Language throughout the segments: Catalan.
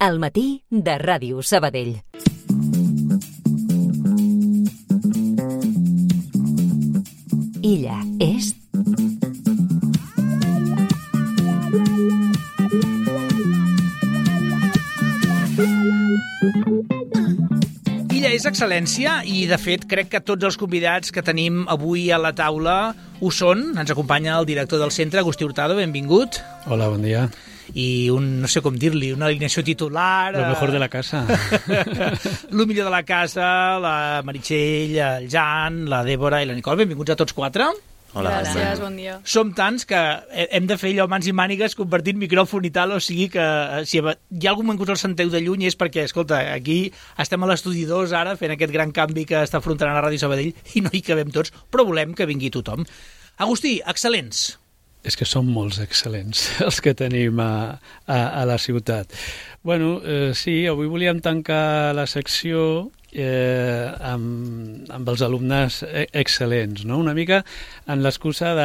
Al matí de Ràdio Sabadell. Illa és... Illa és excel·lència i, de fet, crec que tots els convidats que tenim avui a la taula ho són. Ens acompanya el director del centre, Agustí Hurtado, benvingut. Hola, bon dia. I no sé com dir-li, una alineació titular... Lo mejor de la casa. Lo millor de la casa, la Meritxell, el Jan, la Dèbora i la Nicole. Benvinguts a tots quatre. Hola, gràcies, bon dia. Som tants que hem de fer allò mans i mànigues, compartint micròfon i tal, o sigui que si hi ha algun moment que us el senteu de lluny és perquè, escolta, aquí estem a l'estudi 2 ara fent aquest gran canvi que està afrontant a Ràdio Sabadell i no hi cabem tots, però volem que vingui tothom. Agustí, excel·lents. És que són molts excel·lents els que tenim a la ciutat. Bueno, sí, avui volíem tancar la secció amb els alumnes excel·lents, no? Una mica en l'excusa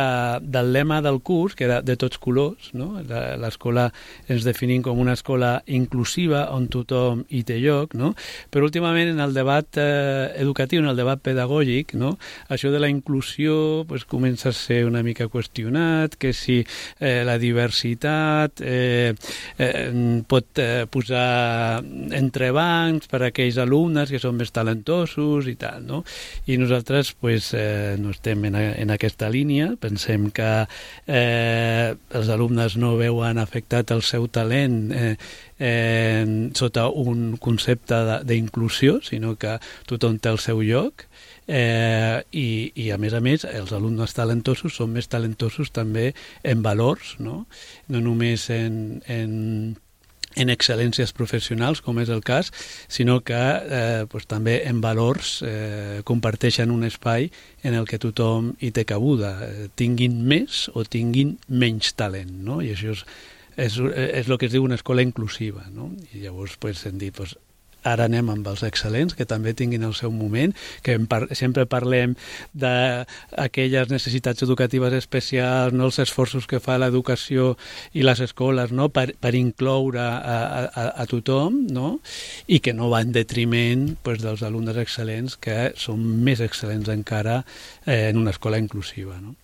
del lema del curs, que era de tots colors, no? L'escola ens definim com una escola inclusiva on tothom hi té lloc, no? Però últimament en el debat educatiu, en el debat pedagògic, no? Això de la inclusió pues, comença a ser una mica qüestionat, que si la diversitat pot posar entrebancs per a aquells alumnes que són més talentosos i tal, no? I nosaltres pues, no estem en aquesta línia, pensem que els alumnes no veuen afectat el seu talent sota un concepte d'inclusió, sinó que tothom té el seu lloc i a més els alumnes talentosos són més talentosos també en valors, no? No només en excel·lències professionals, com és el cas, sinó que pues, també en valors comparteixen un espai en el que tothom hi té cabuda, tinguin més o tinguin menys talent, no? I això és el que es diu una escola inclusiva, no? I llavors pues, hem dit, pues, ara anem amb els excel·lents, que també tinguin el seu moment, que sempre parlem d'aquelles necessitats educatives especials, no? Els esforços que fa l'educació i les escoles, no? per incloure a tothom, no? I que no va en detriment pues, dels alumnes excel·lents, que són més excel·lents encara en una escola inclusiva, no?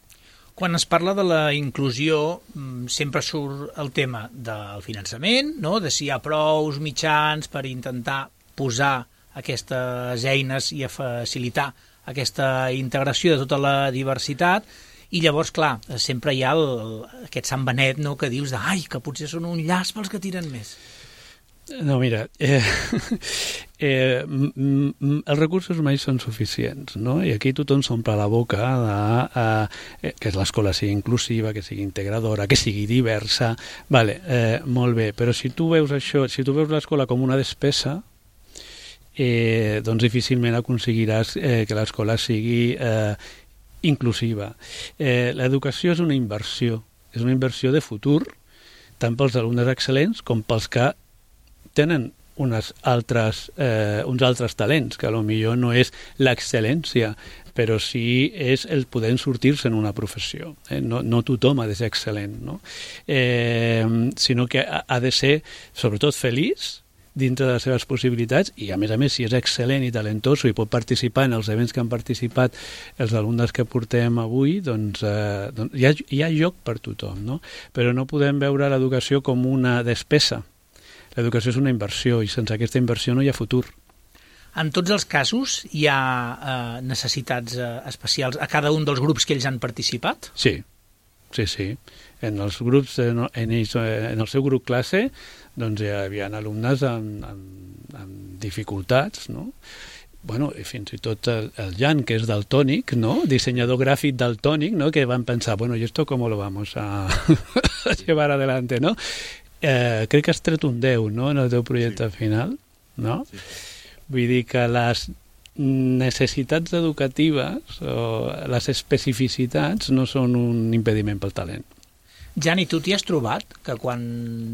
Quan es parla de la inclusió, sempre surt el tema del finançament, no? De si hi ha prous mitjans per intentar posar aquestes eines i a facilitar aquesta integració de tota la diversitat. I llavors, clar, sempre hi ha aquest Sant Benet, no? Que dius ai, que potser són un llaç pels que tiren més. No, mira, els recursos mai són suficients, no? I aquí tothom s'omple la boca que l'escola sigui inclusiva, que sigui integradora, que sigui diversa. Vale, molt bé, però si tu veus això, si tu veus l'escola com una despesa, doncs difícilment aconseguiràs que l'escola sigui inclusiva. L'educació és una inversió de futur, tant pels alumnes excel·lents com pels que tenen uns altres talents, que potser no és l'excel·lència, però sí és el poder sortir-se en una professió. No tothom ha de ser excel·lent, no? Sinó que ha de ser, sobretot, feliç dintre de les seves possibilitats i, a més, si és excel·lent i talentoso i pot participar en els events que han participat els alumnes que portem avui, doncs hi ha lloc per tothom, no? Però no podem veure l'educació com una despesa. L'educació és una inversió i sense aquesta inversió no hi ha futur. En tots els casos hi ha necessitats especials a cada un dels grups que ells han participat? Sí. En els grups, en el seu grup classe, doncs hi havia alumnes amb dificultats, no? Bueno, i fins i tot el Jan, que és daltònic, ¿no? Diseñador gráfico daltònic, ¿no? Que van pensar, bueno, ¿y esto cómo lo vamos a llevar adelante, no? Crec que has tret un 10, no?, en el teu projecte final, no? Sí. Vull dir que les necessitats educatives o les especificitats no són un impediment pel talent. Jan, i tu t'hi has trobat que quan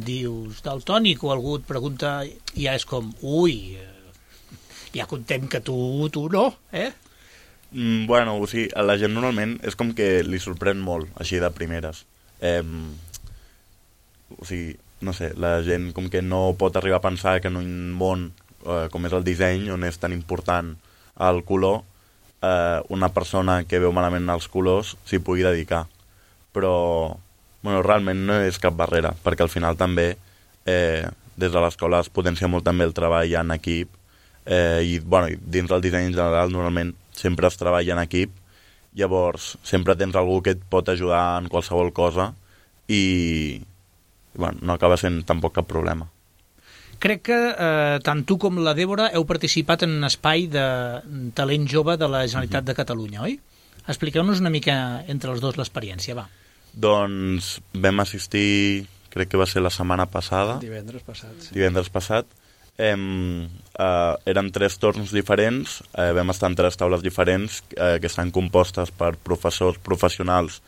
dius daltònic o algú et pregunta ja és com, ja contem que tu no, eh? Bueno, o sigui, a la gent normalment és com que li sorprèn molt, així de primeres. O sigui, no sé, la gent com que no pot arribar a pensar que en un món com és el disseny, on és tan important el color, una persona que veu malament els colors s'hi pugui dedicar. Però realment no és cap barrera, perquè al final també des de l'escola es potencia molt també el treball en equip, i dins del disseny en general normalment sempre es treballa en equip, llavors sempre tens algú que et pot ajudar en qualsevol cosa i no acaba sent tampoc cap problema. Crec que tant tu com la Débora heu participat en un espai de talent jove de la Generalitat de Catalunya, oi? Expliqueu-nos una mica entre els dos l'experiència, va. Doncs vam assistir, crec que va ser la setmana passada. Divendres passat. Sí. Divendres passat. Eren 3 torns diferents, vam estar en 3 taules diferents que estan compostes per professors professionals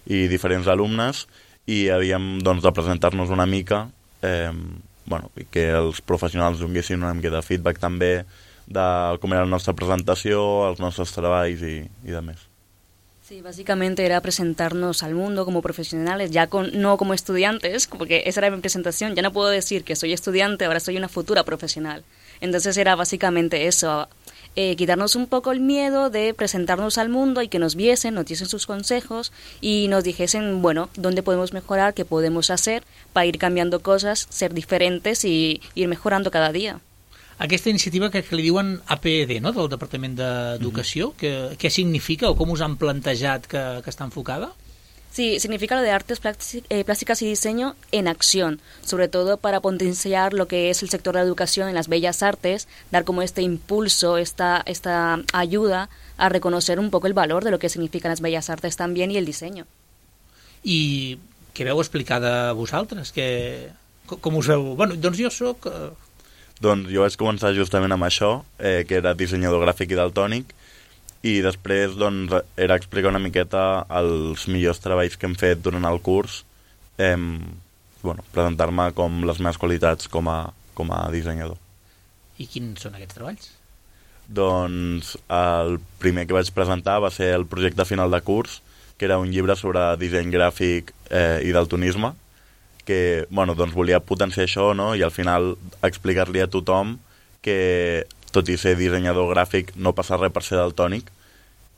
i diferents alumnes, i havíem de presentar-nos una mica, i que els professionals donessin una mica de feedback també de com era la nostra presentació, els nostres treballs i de més. Sí, básicamente era presentarnos al mundo como profesionales, ya no como estudiantes, porque esa era mi presentación. Ya no puedo decir que soy estudiante, ahora soy una futura profesional. Entonces era básicamente eso, quitarnos un poco el miedo de presentarnos al mundo y que nos viesen, nos diesen sus consejos y nos dijesen, dónde podemos mejorar, qué podemos hacer para ir cambiando cosas, ser diferentes y ir mejorando cada día. Aquesta iniciativa que li diuen APED, no?, del Departament d'Educació, què significa o com us han plantejat que està enfocada? Sí, significa lo de artes plásticas y diseño en acción, sobre todo para potenciar lo que es el sector de la educación en las bellas artes, dar como este impulso, esta ayuda a reconocer un poco el valor de lo que significan las bellas artes también y el diseño. I què veu explicar de vosaltres? Com us veu? Doncs jo soc... Doncs jo vaig començar justament amb això, que era dissenyador gràfic i daltònic, i després era explicar una miqueta els millors treballs que hem fet durant el curs, presentar-me com les meves qualitats com a dissenyador. I quins són aquests treballs? Doncs el primer que vaig presentar va ser el projecte final de curs, que era un llibre sobre disseny gràfic i daltonisme, que volia potenciar això, no? I al final explicar-li a tothom que tot i ser dissenyador gràfic no passa res per ser daltònic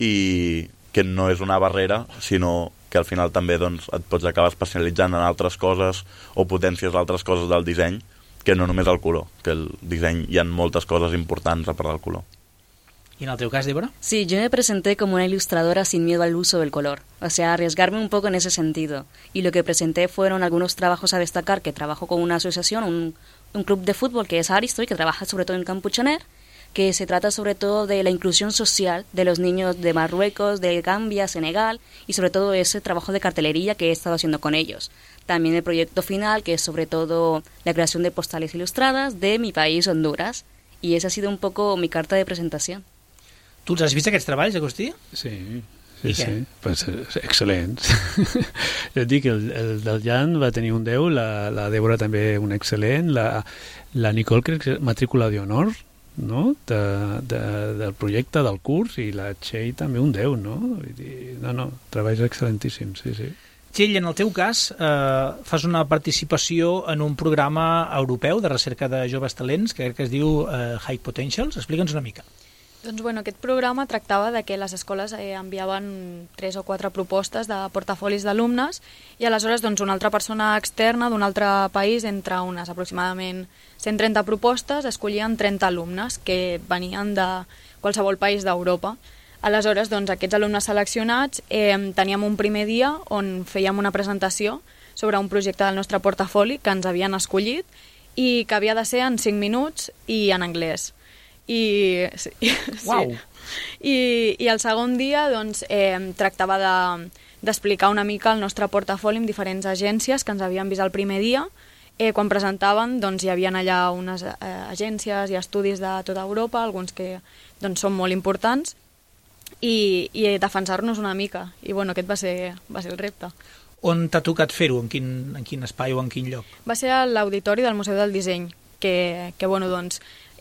i que no és una barrera, sinó que al final també et pots acabar especialitzant en altres coses o potències altres coses del disseny, que no només el color, que el disseny hi ha moltes coses importants a part del color. ¿Y en el teu cas, Débora? Sí, yo me presenté como una ilustradora sin miedo al uso del color, o sea, arriesgarme un poco en ese sentido. Y lo que presenté fueron algunos trabajos a destacar, que trabajo con una asociación, un club de fútbol que es Aristoy, que trabaja sobre todo en Campuchaner, que se trata sobre todo de la inclusión social de los niños de Marruecos, de Gambia, Senegal, y sobre todo ese trabajo de cartelería que he estado haciendo con ellos. También el proyecto final, que es sobre todo la creación de postales ilustradas de mi país, Honduras, y esa ha sido un poco mi carta de presentación. Tu els has vist aquests treballs, Agustí? Sí. Pues, excel·lents. Jo et dic, el del Jan va tenir un 10, la Débora també un excel·lent, la Nicole crec que és matrícula d'honor, no? Del projecte, del curs, i la Txell també un 10, no? No, treballs excel·lentíssims, sí. Txell, en el teu cas, fas una participació en un programa europeu de recerca de joves talents, que crec que es diu High Potentials. Explica'ns una mica. Doncs aquest programa tractava de que les escoles enviaven 3 o 4 propostes de portafolis d'alumnes i aleshores una altra persona externa d'un altre país, entre unes aproximadament 130 propostes, escollien 30 alumnes que venien de qualsevol país d'Europa. Aleshores, aquests alumnes seleccionats teníem un primer dia on fèiem una presentació sobre un projecte del nostre portafoli que ens havien escollit i que havia de ser en 5 minuts i en anglès. I el segon dia tractava d'explicar una mica el nostre portafoli amb diferents agències que ens havien vist el primer dia. Quan presentaven hi havia allà unes agències i estudis de tota Europa, alguns que són molt importants, i defensar-nos una mica. I aquest va ser el repte. On t'ha tocat fer-ho? En quin espai o en quin lloc? Va ser a l'auditori del Museu del Disseny, que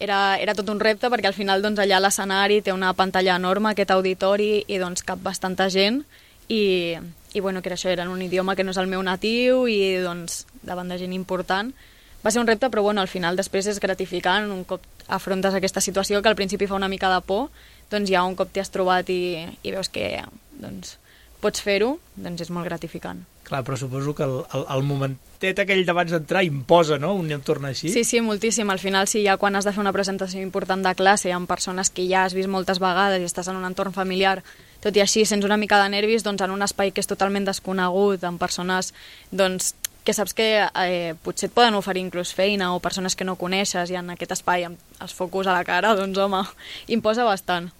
era tot un repte perquè al final allà l'escenari té una pantalla enorme, aquest auditori, i cap bastanta gent i bueno, que era això, era en un idioma que no és el meu natiu i doncs davant de gent important. Va ser un repte, però bueno, al final després és gratificant, un cop afrontes aquesta situació que al principi fa una mica de por, doncs ja un cop t'hi has trobat i veus que doncs, pots fer-ho, doncs és molt gratificant. Clar, però suposo que el momentet aquell d'abans d'entrar imposa, no?, un entorn així. Sí, moltíssim. Al final, sí, ja quan has de fer una presentació important de classe amb persones que ja has vist moltes vegades i estàs en un entorn familiar, tot i així sents una mica de nervis, doncs en un espai que és totalment desconegut, amb persones doncs, que saps que potser et poden oferir inclús feina o persones que no coneixes i en aquest espai amb els focus a la cara, doncs home, imposa bastant.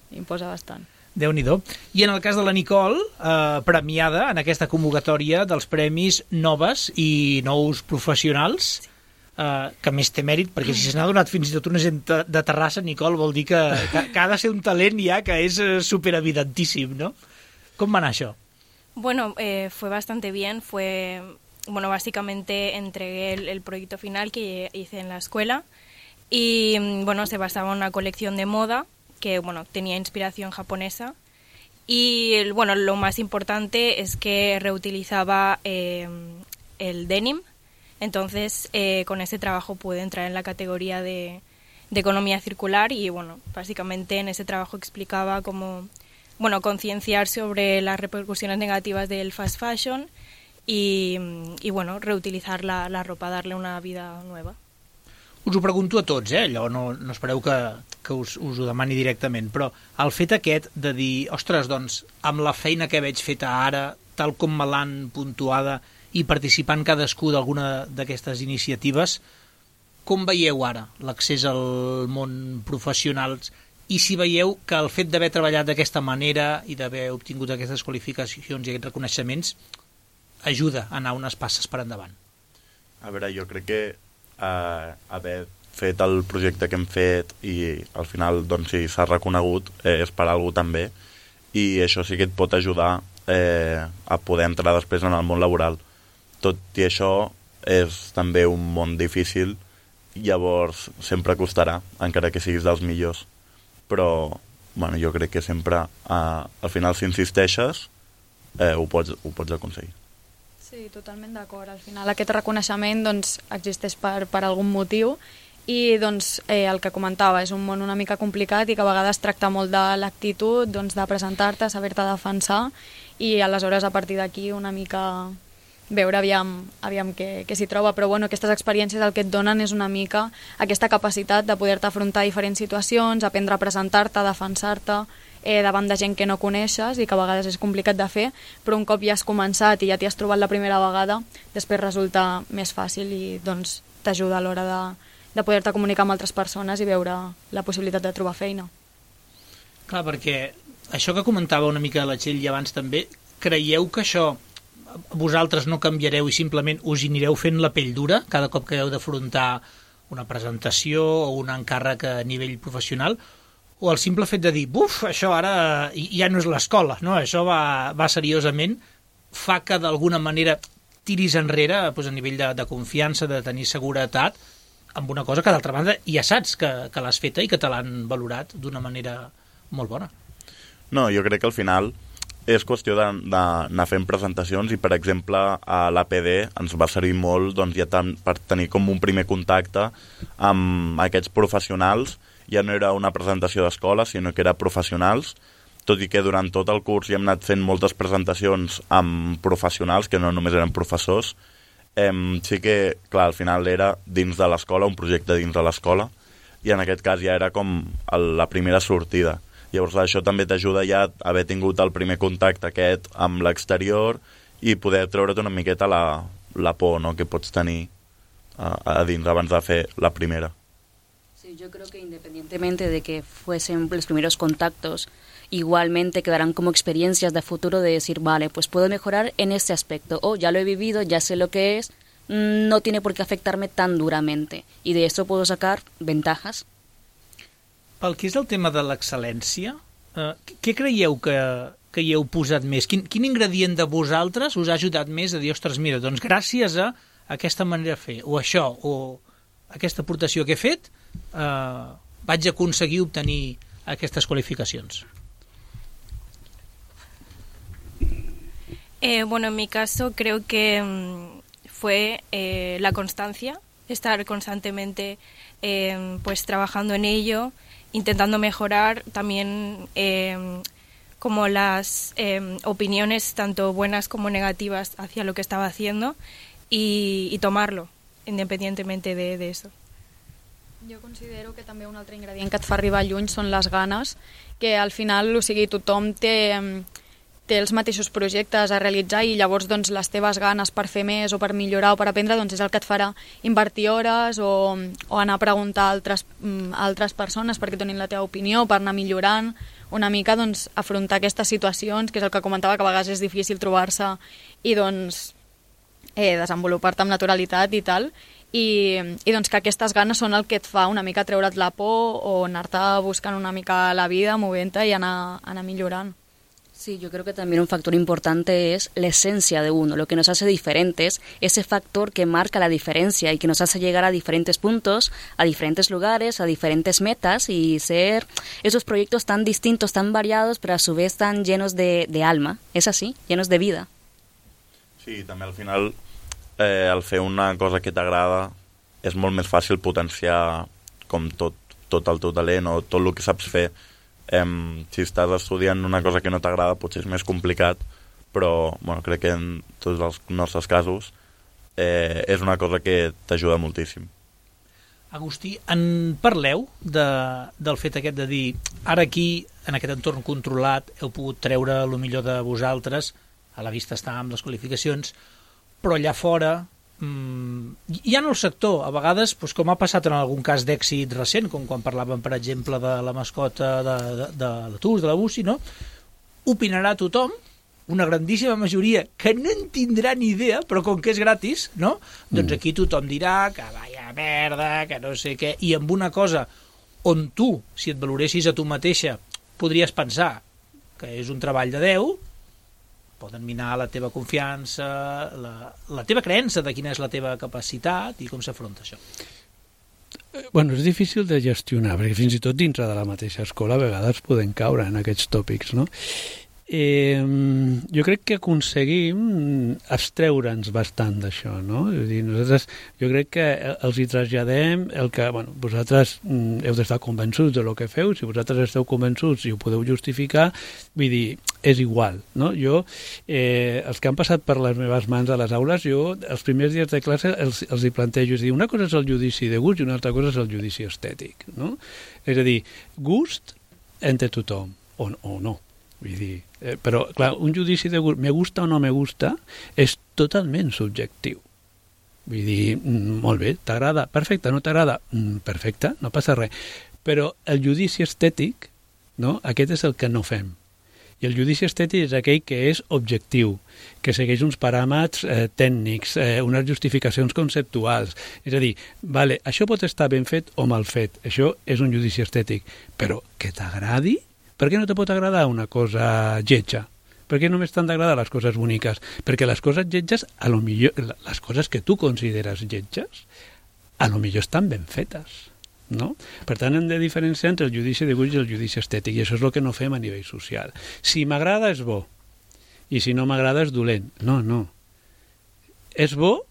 Déu-n'hi-do. I en el cas de la Nicole, premiada en aquesta convocatòria dels Premis Noves i Nous Professionals, que més té mèrit, perquè si se n'ha donat fins i tot una gent de Terrassa, Nicole, vol dir que ha de ser un talent ja que és superevidentíssim, no? Com va anar això? Bueno, fue bastante bien, bueno, básicamente entregué el proyecto final que hice en la escuela y, bueno, se basaba en una colección de moda que, bueno, tenía inspiración japonesa y, bueno, lo más importante es que reutilizaba el denim, entonces con ese trabajo pude entrar en la categoría de economía circular y, bueno, básicamente en ese trabajo explicaba cómo, bueno, concienciar sobre las repercusiones negativas del fast fashion y bueno, reutilizar la ropa, darle una vida nueva. Us ho pregunto a tots, allò no espereu que us ho demani directament, però el fet aquest de dir, ostres, doncs, amb la feina que veig feta ara, tal com me l'han puntuada i participant cadascú d'alguna d'aquestes iniciatives, com veieu ara l'accés al món professional i si veieu que el fet d'haver treballat d'aquesta manera i d'haver obtingut aquestes qualificacions i aquests reconeixements ajuda a anar unes passes per endavant? A veure, jo crec que haver fet el projecte que hem fet i al final doncs, si s'ha reconegut és per algú també i això sí que et pot ajudar a poder entrar després en el món laboral. Tot i això és també un món difícil, llavors sempre costarà, encara que siguis dels millors. Però bueno, jo crec que sempre al final si insisteixes ho pots aconseguir. Sí, totalment d'acord. Al final aquest reconeixement doncs, existeix per algun motiu i doncs, el que comentava és un món una mica complicat i que a vegades tracta molt de l'actitud, doncs, de presentar-te, saber-te defensar i aleshores a partir d'aquí una mica veure aviam què s'hi troba, però bueno, aquestes experiències el que et donen és una mica aquesta capacitat de poder-te afrontar a diferents situacions, aprendre a presentar-te, a defensar-te davant de gent que no coneixes i que a vegades és complicat de fer, però un cop ja has començat i ja t'hi has trobat la primera vegada, després resulta més fàcil i doncs t'ajuda a l'hora de poder-te comunicar amb altres persones i veure la possibilitat de trobar feina. Clar, perquè això que comentava una mica la Txell i abans també, creieu que això vosaltres no canviareu i simplement us hi anireu fent la pell dura cada cop que heu d'afrontar una presentació o un encàrrec a nivell professional, o el simple fet de dir, buf, això ara ja no és l'escola, no? Això va seriosament, fa que d'alguna manera tiris enrere doncs, a nivell de confiança, de tenir seguretat, amb una cosa que d'altra banda ja saps que l'has feta i que te l'han valorat d'una manera molt bona. No, jo crec que al final és qüestió d'anar fent presentacions i, per exemple, a l'APD ens va servir molt doncs, ja per tenir com un primer contacte amb aquests professionals. Ja no era una presentació d'escola, sinó que era professionals, tot i que durant tot el curs ja hem anat fent moltes presentacions amb professionals, que no només eren professors. Sí que, clar, al final era dins de l'escola, un projecte dins de l'escola, i en aquest cas ja era com la primera sortida. Llavors això també t'ajuda ja a haver tingut el primer contacte aquest amb l'exterior i poder treure't una miqueta la por, no?, que pots tenir a dins abans de fer la primera. Sí, yo creo que independientemente de que fuesen los primeros contactos, igualmente quedarán como experiencias de futuro de decir, vale, pues puedo mejorar en este aspecto, o ya lo he vivido, ya sé lo que es, no tiene por qué afectarme tan duramente, y de esto puedo sacar ventajas. Pel que és el tema de l'excel·lència, què creieu que hi heu posat més? Quin ingredient de vosaltres us ha ajudat més a dir, ostres, mira, doncs gràcies a aquesta manera de fer, o això, o aquesta aportació que he fet, vaig aconseguir obtenir aquestes qualificacions? Bueno, en mi caso creo que fue la constancia, estar constantemente pues trabajando en ello, intentando mejorar también como las opiniones tanto buenas como negativas hacia lo que estaba haciendo y tomarlo independientemente de eso. Jo considero que també un altre ingredient que et fa arribar lluny són les ganes, que al final, o sigui, tothom té els mateixos projectes a realitzar i llavors doncs, les teves ganes per fer més o per millorar o per aprendre doncs, és el que et farà invertir hores o anar a preguntar a altres persones perquè donin la teva opinió, per anar millorant una mica, doncs, afrontar aquestes situacions, que és el que comentava, que a vegades és difícil trobar-se i doncs, desenvolupar-te amb naturalitat i tal, i doncs que aquestes ganes són el que et fa una mica treure't la por o anar-te buscant una mica la vida, movent-te i anar millorant. Sí, yo creo que también un factor importante es la esencia de uno, lo que nos hace diferentes, ese factor que marca la diferencia y que nos hace llegar a diferentes puntos, a diferentes lugares, a diferentes metas y ser esos proyectos tan distintos, tan variados, pero a su vez tan llenos de alma, ¿es así? Llenos de vida. Sí, també al final al fer una cosa que t'agrada és molt més fàcil potenciar com tot el teu talent o tot el que saps fer. Si estàs estudiant una cosa que no t'agrada potser és més complicat, però bueno, crec que en tots els nostres casos és una cosa que t'ajuda moltíssim. Agustí, en parleu del fet aquest de dir ara aquí, en aquest entorn controlat, heu pogut treure el millor de vosaltres, a la vista està amb les qualificacions, però allà fora hi ha en el sector, a vegades, doncs, com ha passat en algun cas d'èxit recent, com quan parlàvem, per exemple, de la mascota de la TUS, de la UCI, no? Opinarà tothom, una grandíssima majoria que no en tindrà ni idea, però com que és gratis, no? Doncs aquí tothom dirà que vaya merda, que no sé què, i amb una cosa on tu, si et valoressis a tu mateixa, podries pensar que és un treball de Déu, poden minar la teva confiança, la teva creença de quina és la teva capacitat i com s'afronta això. Bueno, és difícil de gestionar, perquè fins i tot dintre de la mateixa escola a vegades podem caure en aquests tòpics, no? Jo crec que aconseguim abstreure'ns bastant d'això, no? És a dir, nosaltres, jo crec que els hi traslladem el que, bueno, vosaltres heu d'estar convençuts de lo que feu, si vosaltres esteu convençuts i ho podeu justificar, vull dir, és igual, no? Jo, els que han passat per les meves mans a les aules, jo, els primers dies de classe els hi plantejo, és a dir, una cosa és el judici de gust i una altra cosa és el judici estètic, no? És a dir, gust entre tothom, o no. Vull dir, però, clar, un judici de gust, me gusta o no me gusta, és totalment subjectiu. Vull dir, molt bé, t'agrada, perfecte, no t'agrada, perfecte, no passa res. Però el judici estètic, no?, aquest és el que no fem. I el judici estètic és aquell que és objectiu, que segueix uns paràmetres tècnics, unes justificacions conceptuals. És a dir, vale, això pot estar ben fet o mal fet, això és un judici estètic, però que t'agradi? Per què no te pot agradar una cosa lletja? Per què només t'han d'agradar les coses boniques? Perquè les coses lletges, a lo millor, les coses que tu consideres lletges, a lo millor estan ben fetes, no? Per tant, hem de diferenciar entre el judici de gust i el judici estètic, i això és el que no fem a nivell social. Si m'agrada és bo, i si no m'agrada és dolent. No. És bo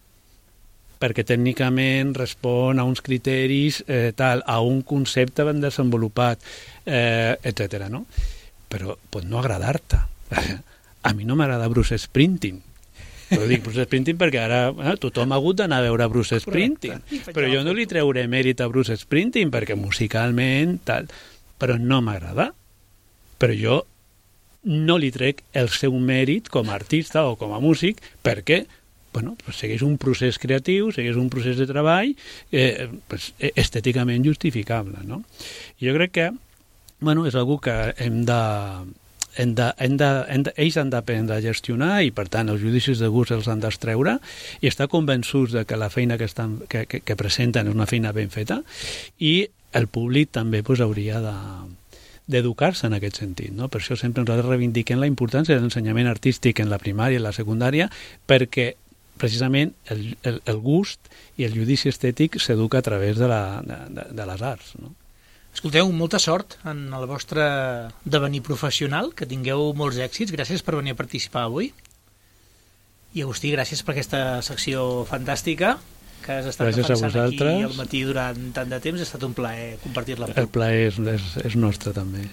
perquè tècnicament respon a uns criteris, a un concepte ben desenvolupat, etc. No? Però pot no agradar-te. A mi no m'agrada Bruce Springsteen. Però dic Bruce Springsteen perquè ara tothom ha hagut d'anar a veure Bruce Springsteen. Però jo no li treuré mèrit a Bruce Springsteen perquè musicalment tal. Però no m'agrada. Però jo no li trec el seu mèrit com a artista o com a músic perquè bueno, pues segueix un procés creatiu, segueix un procés de treball pues, estèticament justificable, no? I jo crec que bueno, és algo que ells han d'aprendre a gestionar i per tant els judicis de gust els han d'extreure i estar convençuts de que la feina que presenten és una feina ben feta i el públic també pues, hauria d'educar-se en aquest sentit, no? Per això sempre nosaltres reivindiquem la importància de l'ensenyament artístic en la primària i en la secundària perquè precisament el gust i el judici estètic s'educa a través de les arts, no? Escolteu, molta sort en el vostre devenir professional, que tingueu molts èxits. Gràcies per venir a participar avui. I Agustí, gràcies per aquesta secció fantàstica que has estat Gràcies defensant aquí al matí durant tant de temps. Ha estat un plaer compartir-la amb tu. El plaer és nostre també.